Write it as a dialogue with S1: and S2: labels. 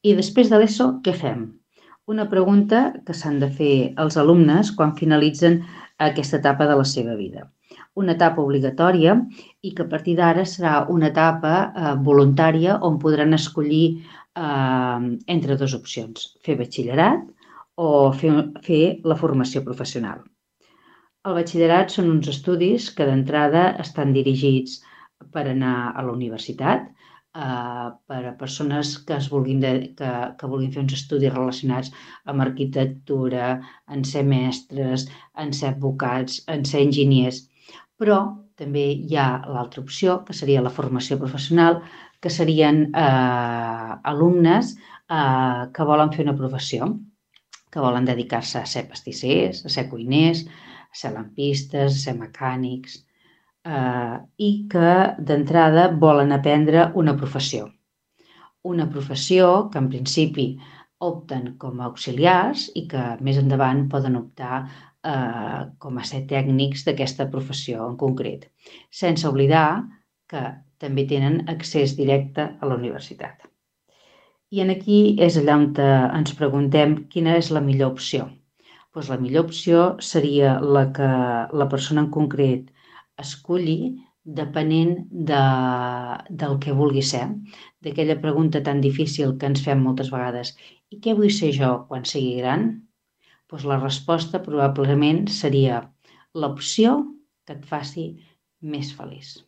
S1: I després de l'ESO, què fem? Una pregunta que s'han de fer els alumnes quan finalitzen aquesta etapa de la seva vida. Una etapa obligatòria i que a partir d'ara serà una etapa voluntària on podran escollir entre dues opcions, fer batxillerat o fer la formació professional. El batxillerat són uns estudis que d'entrada estan dirigits per anar a la universitat, per a persones que vulguin fer uns estudis relacionats amb arquitectura, en ser mestres, en ser advocats, en ser enginyers. Però també hi ha l'altra opció, que seria la formació professional, que serien alumnes que volen fer una professió, que volen dedicar-se a ser pastissers, a ser cuiners, a ser lampistes, a ser mecànics, i que d'entrada volen aprendre una professió. Una professió que en principi opten com a auxiliars i que més endavant poden optar com a ser tècnics d'aquesta professió en concret, sense oblidar que també tenen accés directe a la universitat. I aquí és allà on ens preguntem quina és la millor opció. Doncs la millor opció seria la que la persona en concret esculli depenent del que vulgui ser, d'aquella pregunta tan difícil que ens fem moltes vegades: i què vull ser jo quan sigui gran? Doncs la resposta probablement seria l'opció que et faci més feliç.